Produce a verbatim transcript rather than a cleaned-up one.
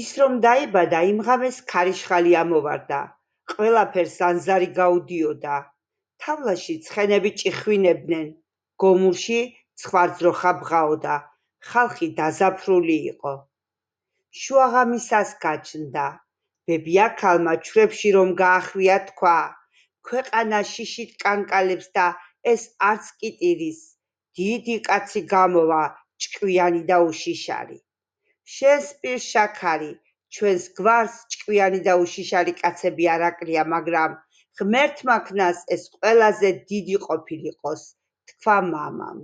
ის რომ დაიბადა, იმ ღამეს ქარიშხალი ამოვარდა, ყველაფერს ანზარი გაუდიოდა. თავლაში ცხენები ჭიხვინებდნენ, გომურში ცხვარძროხა ბღაოდა, ხალხი დაზაფრული იყო. შუაღამისას გაჩნდა, ბებიაქალმა ჩვრებში რომ გაახვია თქვა, ქვეყანა შიშით კანკალებს და ეს არც კი ტირის, დიდი კაცი გამოვა, ჭკვიანი და უშიშარი. შენს პირ შაქარი, ჩვენს გვარს ჭკვიანი და უშიშარი კაცები არ აკლია, მაგრამ ღმერთმა ქნას ეს ყველაზე დიდი ყოფილიყოს, თქვა მამამ.